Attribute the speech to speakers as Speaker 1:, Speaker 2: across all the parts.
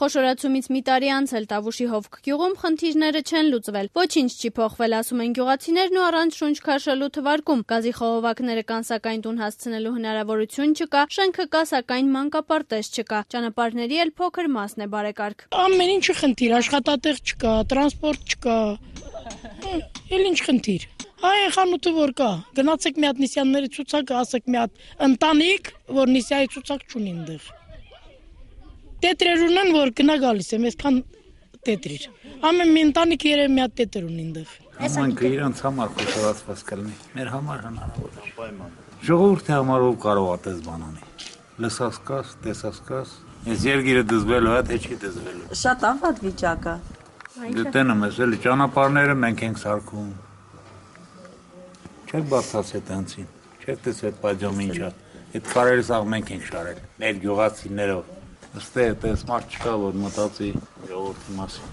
Speaker 1: Խոշորացումից մի տարի անց էլ Տավուշի Հովք գյուղում խնդիրները չեն լուծվել։ Ոչինչ չի փոխվել, ասում են գյուղացիներն ու առանց շունչ քաշելու թվարկում։ Գազի խողովակները կան, սակայն տուն հասցնելու հնարավորություն չկա, շենքը կա, սակայն մանկապարտեզ չկա։ Ճանապարհների էլ փոքր մասն է բարեկարգ։
Speaker 2: Ամեն ինչը խնդիր, աշխատատեղ չկա, տրանսպորտ չկա։ Էլ ինչ խնդիր։ Այն խանութը որ կա, գնացեք մի հատ Նիսյանների ցուցակը, ասեք մի հատ ընտանիք, որ Նիսյայի ցուցակ չունի այնտեղ։ Տետրեր ունեն, որ գնա գալիս եմ, այսքան տետրեր։ Ամեն մի ընտանիք երևի մի հատ տետր ունի այնտեղ։
Speaker 3: Համայնքը իրանց համար խոշորացված կլինի, մեր համար հնարավոր է։ Ժողովրդի համար ով կարող է այդպես բան անի։ Լսած կաս, տեսած կաս, այս երգիրը դզվելու է, թե չի դզվելու։
Speaker 4: Շատ անվատ վիճակը։
Speaker 3: Դե տենեմ ես էլի ճանապարհները մենք ենք սարքում։ Չեք բարձրացել տանցին, չեք տեսել պատժամը ինչա։ Այդ կարերը սաղ մենք ենք շարել, մեր գյուղացիներով։ Ըստ էս մարդ չկա, որ մտածի ժողովրդի մասին։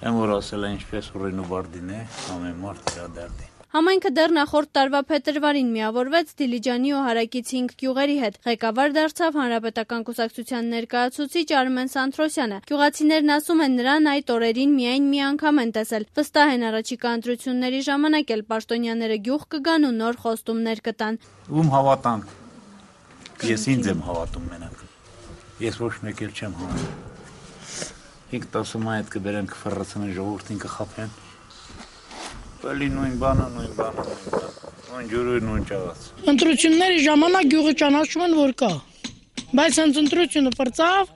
Speaker 3: Եմ որ ասել է ինչպես ուռին ու բարդին է, ամեն մարդ իր դերդին։
Speaker 1: Համայնքը դեռ նախորդ տարվա փետրվարին միավորվեց Դիլիջանի ու Հարակից 5 գյուղերի հետ։ Ղեկավար դարձավ Հանրապետական կուսակցության ներկայացուցիչ Արմեն Սանթրոսյանը։ Գյուղացիներն ասում են, նրան այդ օրերին միայն մի անգամ են տեսել։ Վստահ են առաջիկա ընտրությունների ժամանակ էլ պաշտոնյաները գյուղ կգան ու նոր խոստումներ կտան։
Speaker 3: Ում հավատանք։ Ես ինձ եմ հավատում մենակ։ Ես ոչ մեկ էլ չեմ հավատում։ Ինքն ասում է այդ կբերեն կֆռռացնեն ժողովրդին կխաբեն։ Բալի նույն բանը, նույն ջուրը, նույն ճաղաց։
Speaker 2: Ընտրությունների ժամանակ գյուղը ճանաչում են, որ կա։ Բայց հենց ընտրությունը պրծավ,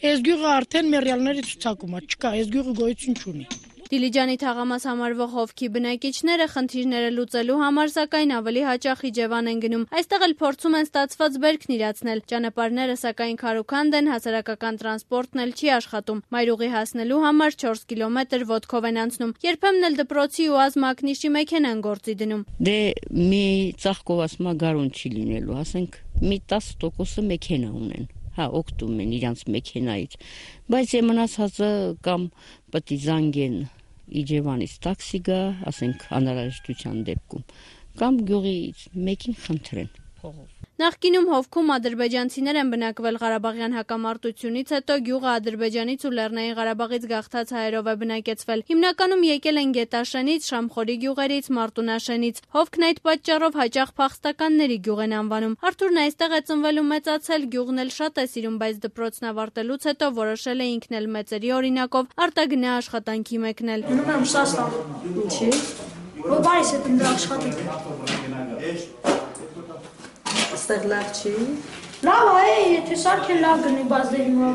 Speaker 2: այս գյուղը արդեն մեռյալների ցուցակում է, չկա, այս գյուղը գոյություն չունի։
Speaker 1: Դիլիջանի թաղամաս համարվող Հովքի բնակիչները խնդիրները լուծելու համար սակայն ավելի հաճախ Իջևան են գնում։ Այստեղ էլ փորձում են ստացված բերքն իրացնել։ Ճանապարհները սակայն քարուքանդ են, հասարակական տրանսպորտն էլ չի աշխատում։ Մայրուղի հասնելու համար 4 կիլոմետր ոտքով են անցնում։ Երբեմն էլ դպրոցի ու ազմակնիշի մեքենան գործի դնում։
Speaker 5: Դե մի ծաղկով ասма գարուն չի լինելու, ասենք մի 10%-ը մեքենա ունեն։ Հա, օգտում են իրանց մեքենայից, բայց մնացածը կամ պետք է զանգեն Իջևանից տաքսի գա, ասենք անհրաժեշտության դեպքում, կամ գյուղից մեկին խնդրեն փողով։
Speaker 1: Նախկինում Հովքում ադրբեջանցիներ են բնակվել Ղարաբաղյան հակամարտությունից հետո գյուղը Ադրբեջանից ու Լեռնային Ղարաբաղից գաղթած հայերով է բնակեցվել։ Հիմնականում եկել են Գետաշենից, Շամխորի գյուղերից, Մարտունաշենից։ Հովքն այդ պատճառով հաճախ փախստականների գյուղ են անվանում։ Արթուրն այստեղ է ծնվել ու մեծացել, գյուղն էլ շատ է սիրում, բայց դպրոցն ավարտելուց հետո որոշել է ինքն էլ մեծերի օրինակով արտագնա աշխատանքի մեկնել։
Speaker 6: Գնում եմ Ռուսաստան։ Ինչի՞։ Որ բարիս հետ ընդ աշխատել։
Speaker 4: Այստեղ լավ չի։
Speaker 6: Լավ է, եթե սարքեն լավ գնի, բայց դե հիմա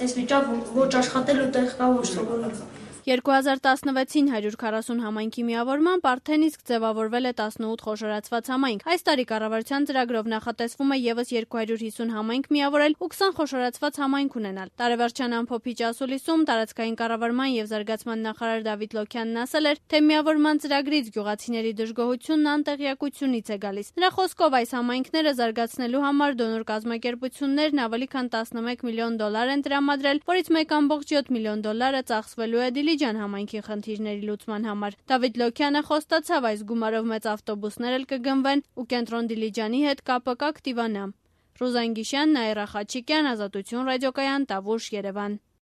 Speaker 6: այս վիճակ ոչ աշխատելու տեղ կա, ոչ սովորել։
Speaker 1: 2016-ին 140 համայնքի միավորմամբ արդեն իսկ ձևավորվել է 18 խոշորացված համայնք։ Այս տարի կառավարության ծրագրով նախատեսվում է եւս 250 համայնք միավորել ու 20 խոշորացված համայնք ունենալ։ Տարեվերջյան ամփոփիչ ասուլիսում տարածքային կառավարման եւ զարգացման նախարար Դավիթ Լոքյանն ասել էր, թե միավորման ծրագրից գյուղացիների դժգոհությունն անտեղյակությունից է գալիս։ Նրա խոսքով այս համայնքները զարգացնելու համար դոնոր կազմակերպություններն ավելի քան $11 միլիոն են տրամադրել, որից $1.7 միլիոն ծախսվելու է Դիլիջան համայնքի խնդիրների լուծման համար։ Դավիթ Լոքյանը խոստացավ, այս գումարով մեծ ավտոբուսներ էլ կգնվեն ու կենտրոն Դիլիջանի հետ կապը կակտիվանա։ Ռուզան Գիշյան, Նաիրա Խաչիկյան, Ազատություն ռադիոկայան, Տավուշ, Երևան։